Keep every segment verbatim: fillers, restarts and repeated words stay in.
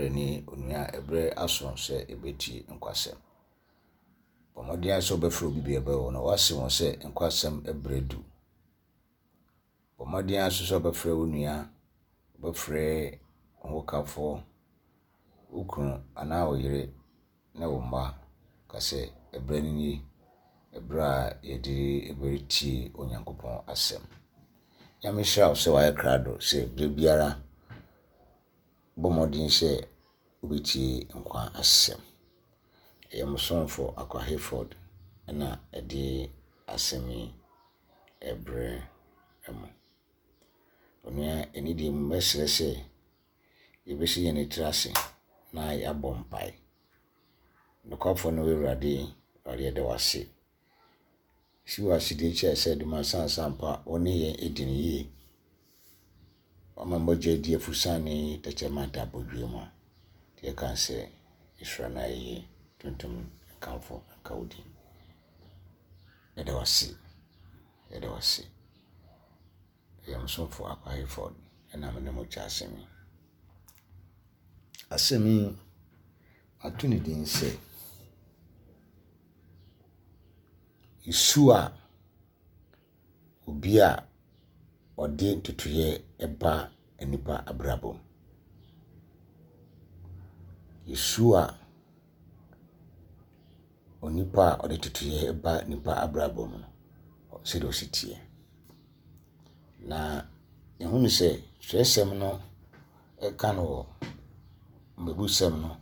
Berɛ nie, onua, ɛberɛ aso sɛ yɛbɛtie nkwasɛm. Bɔ mmɔden ara sɛ wobɛfrɛ obi biara bɛwɔ na woase wɔn sɛ nkwasɛm berɛ du. Bɔ mmɔden ara nso sɛ wobɛfrɛ wo nua, wobɛfrɛ wo hokafoɔ, wo kunu anaa wo yere ne wo mma ka sɛ ɛberɛ no nie, ɛberɛ a yɛde bɛtie Onyankopɔn asɛm. Nyame nhyira wo sɛ woayɛ krado sɛ berɛ biara bɔ mmɔden sɛ wobɛtie nkwa asɛm. Ɛyɛ mo somfo Akwa Hayford na ɛde asɛm yi ɛbrɛ mo. Onua, ɛne deɛ mu mɛsrɛ sɛ yɛbɛsi yɛn tiri ase na yɛabɔ mpae. Nokwafoɔ no Awurade, Awurade yɛda wo ase. Si wɔ asedie kyerɛ sɛ de ma sansampa wo ne yɛn adi no yie. Wama mogya adi afusane tɛkyerɛma nta abɔdwe mu a yɛka sɛ nhyira no ayɛyie tuntum nkamfo nka wo din. Yɛda wo ase. Yɛda wo ase. Ɛyɛ mo somfo Akwa Hayford ɛna me ne mo kyɛ asɛm yi. Asɛm yi, ato ne din sɛ su a obi a ɔde ntotoeɛ ba nnipa abrabɔ mu. Su a onipa a ɔde ntotoeɛ ba nnipa abrabɔ mu no, sɛdeɛ ɔsi teɛ. Na yɛhunu sɛ twerɛsɛm no ɛka no wɔ mmebusɛm no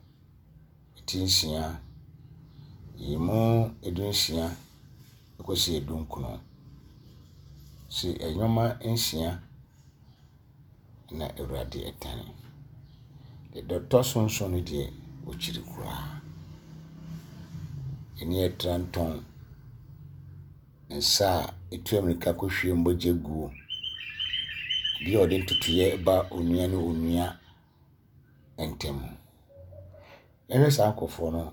ti nsia, yi mu edu nsia kɔsi edu nkron. Sɛ nneɛma nsia na Awurade ɛtane. Deɛ ɛtɔ so nson no deɛ, ɔkyiri koraa. Ɛne ɛtra ntɔn, nsa a ɛtu mmirika kɔhwie mogya guo, obi a ɔde ntotoeɛ ba onua ne onua ntam. Yɛhwɛ saa nkurɔfoɔ no,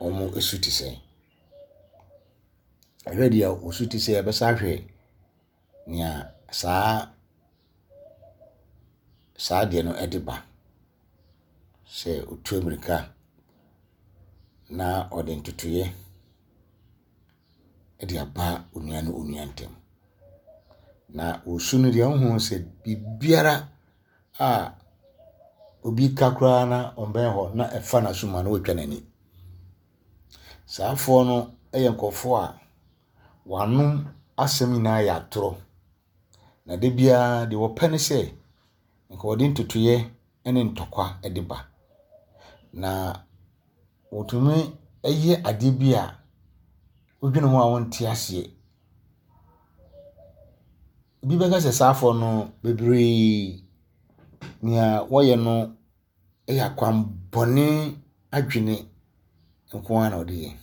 wɔn su te sɛn? Ɛhwɛ deɛ wɔn te sɛ yɛbɛsa ahwɛ nea saa saa adeɛ no de ba. Sɛ otu mmirika na ɔde ntotoeɛ de aba onua ne onua ntam. Na wɔsu no deɛ wohu sɛ biribiara a obi ka koraa na ɔmbɛn hɔ na ɛfa n'asom a na watwa n'ani. Saa afoɔ no yɛ nkurɔfoɔ a wɔn asɛm nyinaa yɛ atorɔ. Na da biara deɛ wɔpɛ ne sɛ nka wɔde ntotoeɛ ne ntɔkwa de ba. Na wɔtumi yɛ adeɛ bi a wodwene ho a wonte aseɛ. Obi bɛka sɛ saa afoɔ no bebree nea wɔyɛ no yɛ akwammɔne adwene nko ara na wɔde yɛ.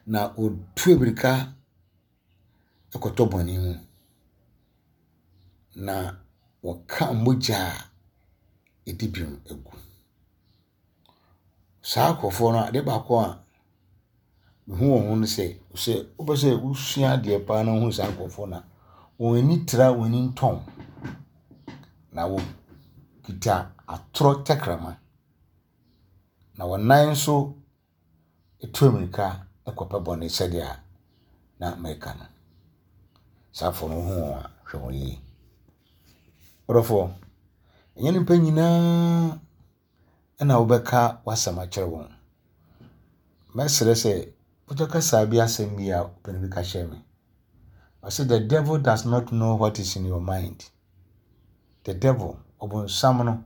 Na wɔtu mmirika kɔtɔ bɔne mu. Na wɔka mogya a ɛdi bem gu. Saa nkurɔfoɔ no, adeɛ baako a mehu wɔn ho ne sɛ, sɛ wopɛ sɛ wosua adeɛ paa na wohu saa nkurɔfoɔ no a, wɔn ani tra wɔn ani ntɔn. Na wɔkita atorɔ tɛkrɛma. Na wɔn nan nso tu mmirika kɔpɛ bɔne sɛdeɛ na mereka no. Saa afoɔ no wohu wɔn a, hwɛ wɔn yie. Ɔdɔfoɔ, ɛnyɛ nnipa nyinaa ɛna wobɛka w'asɛm akyerɛ wɔn. Mɛsrɛ sɛ wotɔ kasa bi asɛm bi a ɔpanin bi ka kyerɛ me. Ɔsɛ the devil does not know what is in your mind. The devil, ɔbonsam no,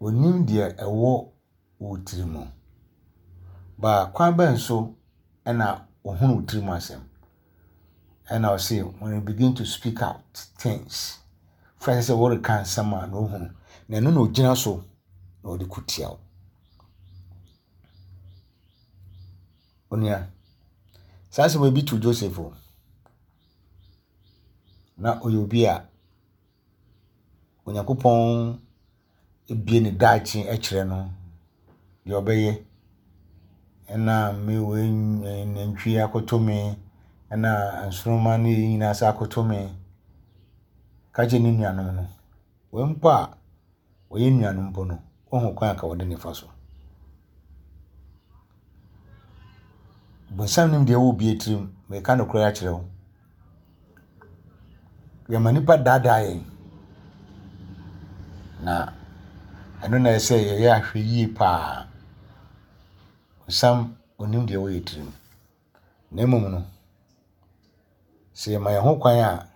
onim deɛ ɛwɔ wo tiri mu. Ba kwan bɛn so ɛna ohunu wo tiri mu asɛm? Ɛna ɔse when you begin to speak out things, fɛ sɛ wɔreka nsɛm a na ohunu. Na ɛno na ogyina so na ɔde ko tia wo. Onua, saa asɛm bi to Joseph o. Na ɔyɛ obi a Onyankopɔn ebie ne daakye kyerɛ no deɛ ɔbɛyɛ. Ɛna me wei nantwie akoto me, ɛna nsoromma ne yɛn nyinaa sɛ akoto me. Ka kyerɛ ne nuanom no. Wei mpo a Wɔyɛ nuanom mpo no, woahu kwan a ka wɔde ne fa so. Bonsam nim deɛ ɛwɔ obi tirim. Meka nokorɛ akyerɛ wo. Yɛma nnipa daadaa yɛn. Na ɛno na ɛsɛ yɛyɛ ahwɛ yie paa. Bonsam onim deɛ ɛwɔ yɛn tirim. Na mmom no, sɛ yɛma yɛn ho kwan a,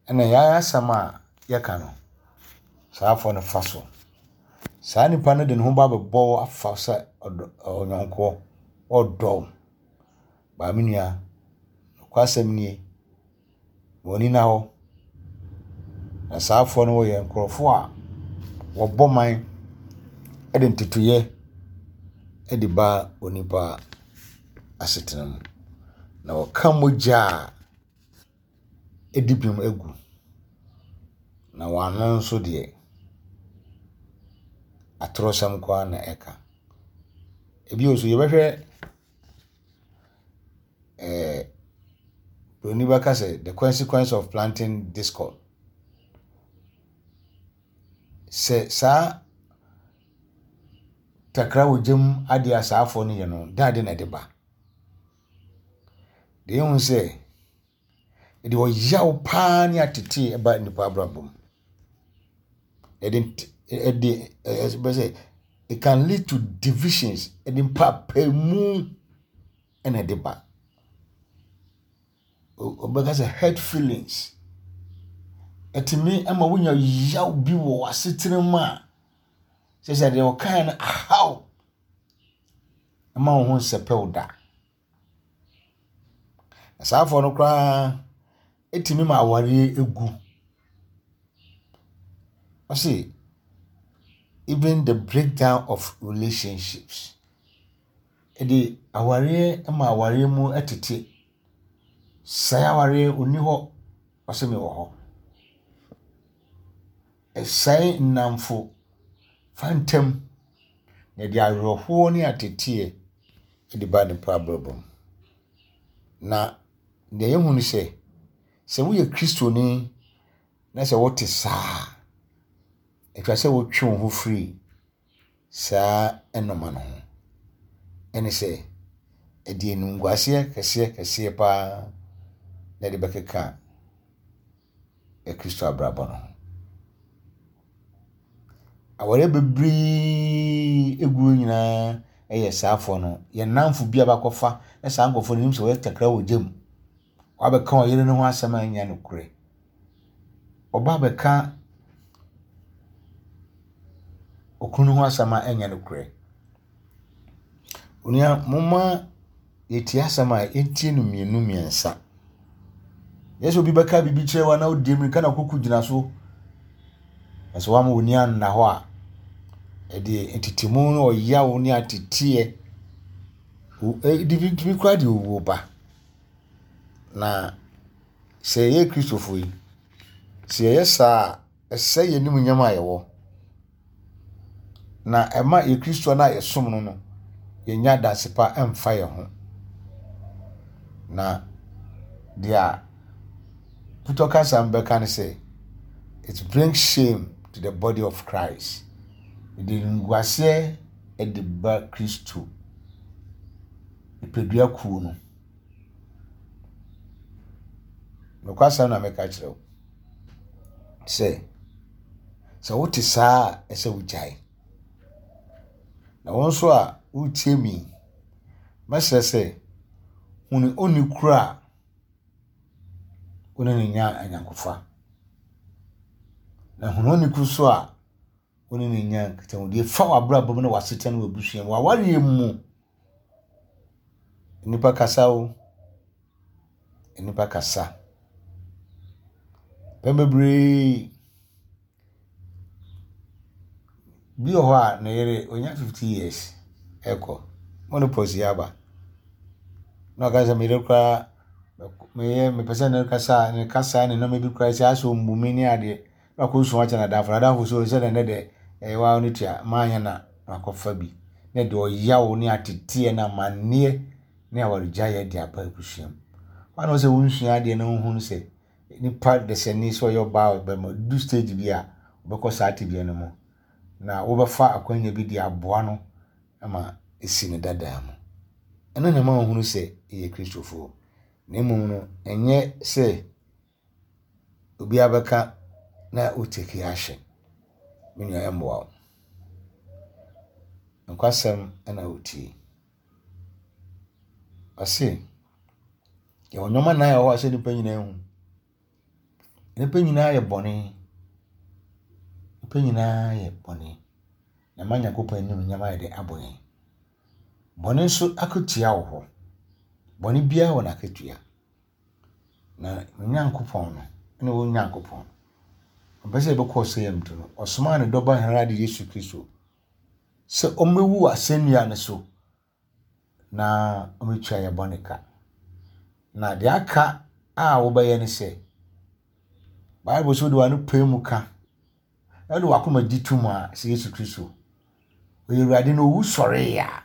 ɛna yɛn asɛm a yɛka no, saa afoɔ no fa so. Saa nipa no de ne ho ba bɛbɔ wo afa sɛ ɔdɔ ɔnyɔnkoɔ, ɔdɔ wo. Baa me nua, nokwasɛm nie, ma w'ani nna hɔ. Na saa afoɔ no wɔyɛ nkurɔfoɔ a wɔbɔ man de ntotoeɛ de ba onipa asetena mu. Na wɔka mogya a ɛdi bem agu. Na wɔn ano nso deɛ, atorɔsɛm nko ara na ɛka. Ebio nso yɛbɛhwɛ ɛɛ Buroni bɛka sɛ the consequence of planting discord. Sɛ saa takra wɔ gya mu adeɛ a saa afoɔ no yɛ no, dɛn ade na ɛde ba? Deɛ ehu sɛ ɛde ɔyaw paa ne atetee ba nnipa abrabɔ mu. Ɛde ɛde ɛbɛ sɛ it can lead to divisions ɛde mpaapaemu ɛna ɛde ba. Ɔbɛka sɛ hurt feelings. Ɛtumi ama wonya yaw bi wɔ w'asetena mu a sɛ sɛ deɛ ɔkae no ahaw ɛma wo ho nsɛpɛw da. Na saa afoɔ no koraa ɛtumi ma awareɛ egu. Ɔse even the breakdown of relationships. Ɛde awareɛ ma awareɛ mu tete. Sɛe awareɛ onni hɔ, ɔse mewɔ hɔ. Ɛsɛe nnamfo fa ntam na ɛde awerɛhoɔ ne ateteɛ de ba nipa abrabɔ mu. Na deɛ yɛhu ne sɛ, sɛ woyɛ Kristoni na sɛ wote saa a, ɛtwa sɛ wotwe wo ho firi saa nnɔma no ho. Ɛne sɛ, ɛde animguaseɛ kɛseɛ kɛseɛ paa na ɛde bɛkeka Kristo abrabɔ no ho. Awareɛ bebree egu hɔ nyinaa yɛ saa afoɔ no. Yɛn nnamfo bi a bakɔfa na saa nkurɔfoɔ no nim sɛ wɔyɛ takra wɔ gya mu. Wabɛka ɔyere no ho asɛm a ɛnyɛ nokorɛ. Ɔba abɛka okunu no ho asɛm a ɛnyɛ nokorɛ. Onua, momma yɛtie asɛm a yɛntie no mmienu mmiɛnsa. Nyɛ sɛ obi bɛka biribi kyerɛ wo a na wodi mmirika na koko gyina so. Na sɛ woama w'ani anna hɔ a, ɛde ntetemu ne ɔyaw ne ateteɛ ɛde bi tumi koraa de owuo ba. Na sɛ yɛyɛ Kristofo yi, sɛ yɛyɛ saa a, ɛsɛe yɛn animuonyam a yɛwɔ. Na ɛma yɛn Kristo no a yɛsom no no, yɛnya adanse pa mfa yɛn ho. Na deɛ putɔ kasa mu bɛka ne sɛ, it brings shame to the body of Christ. Ɛde animguaseɛ de ba Kristo nipadua kuo no. Nokwasɛm na meka kyerɛ wo sɛ, sɛ wote saa a, ɛsɛ wogyae. Na wo nso a woretie me yi, mɛsrɛ sɛ hunu onni koro a wo ne no nya ayɔnkofa. Na hunu onni koro nso a wo ne no nya nkitahodie fa w'abrabɔ mu ne w'asetena ne w'abusua mu, w'awareɛ mu. Nnipa kasa o, nnipa kasa. Mpɛn bebree, bi wɔ hɔ a ne yere onya fifty years ɛkɔ, menopause yi aba. Na ɔka sɛ me yere koraa meyɛ mepɛ sɛ ne kasa ne kasa ne nneɛma bi koraa sɛ asɛ ɔmmu me ne adeɛ. Na wakɔsu akyerɛ n'adamfo, n'adamfo so sɛ nɛ dɛ ɛyɛ waa no tua maanyɛ na wakɔfa bi. Na ɛde ɔyaw ne ateteɛ ne amanneɛ ne awaregyaeɛ de aba abusua mu. Hɔ a na sɛ wonsua adeɛ na wohunu sɛ nipa desani sɛ ɔyɛ ɔbaa ɔbarima du stage bi a Wobɛkɔ saa tebea no mu na wobɛfa akwanya bi de aboa no ma esi ne dadaa mu. Ɛno na ɛma wohunu sɛ yɛyɛ Kristofoɔ. Na mmom no, ɛnyɛ sɛ obiara bɛka na wotake action. Me nua ɛmmoa wo. Nokwasɛm na wotie. Ɔse, yɛwɔ nneɛma nnan a ɛwɔ hɔ a sɛ nnipa nyinaa hu. Nnipa nyinaa yɛ bɔne. Nnipa nyinaa yɛ bɔne. Na ma Nyankopɔn animuonyam ayɛ dɛ abɔ yɛn. Bɔne nso akatua wɔ hɔ. Bɔne biara wɔ n'akatua. Na Nyankopɔn no, ne wo Nyankopɔn, ɔmpɛ sɛ yɛbɛkɔ ɔsɛeɛ mu nti no, ɔsomaa ne dɔba Awurade Yesu Kristo sɛ ɔmmɛwu wɔ asɛnnua no so na ɔmmɛtua yɛn bɔne ka. Na deɛ aka a wobɛyɛ ne sɛ, Bible sɛ wode w'ano pae mu ka na wode w'akoma gye to mu a sɛ Yesu Kristo ɔyɛ Awurade na owu sɔree a,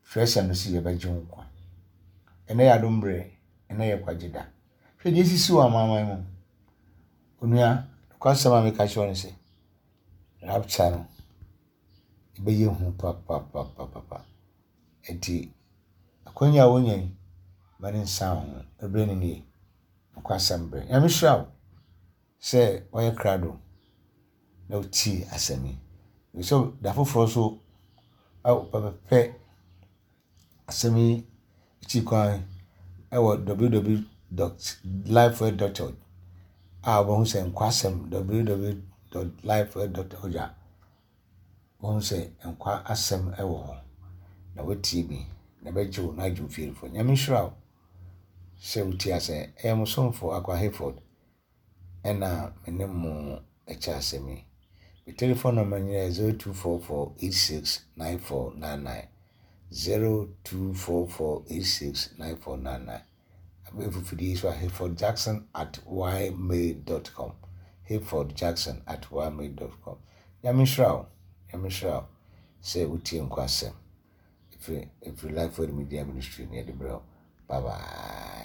twerɛsɛm no sɛ yɛbɛgye wo nkwa. Ɛnnɛ yɛ adom berɛ, ɛnnɛ yɛ kwagye da. Hwɛ deɛ esisi wɔ amanaman mu. Onua, nokwasɛm a meka kyerɛ wo ne sɛ, rapture no, ɛbɛyɛ hu papapapapa. Nti, akwanya a wonya yi, ma ne nsa wo ho. Ɛberɛ no nie. Nokwasɛm berɛ. Nyame hyira wo sɛ wɔyɛ krado na wotie asɛm yi. Sɛ da foforɔ so pɛpɛpɛ asɛm yi akyi kwan ɛwɔ www dot lifeword dot org a wobɛhu sɛ nkwasɛm www dot lifeword dot org a wobɛhu sɛ nkwa asɛm ɛwɔ hɔ na woatie bi na ɛbɛgye wo na agye wo fiefoɔ. Nyame nhyira wo sɛ wotie asɛm. Ɛyɛ mo somfo Akwa Hayford ɛna me ne mo ɛkyɛ asɛm yi. Me telephone number nyɛ zero two four four eight six nine four nine nine zero two four four eight six nine four nine nine. Abɛɛfo fidie so a Hayford Jackson at ymail dot com Hayford Jackson at ymail dot com. Nyame nhyira wo. Nyame nhyira wo sɛ wotie nkwa asɛm. Ɛfiri ɛfiri Lifeword Media Ministry ne yɛde brɛ wo. Bye bye.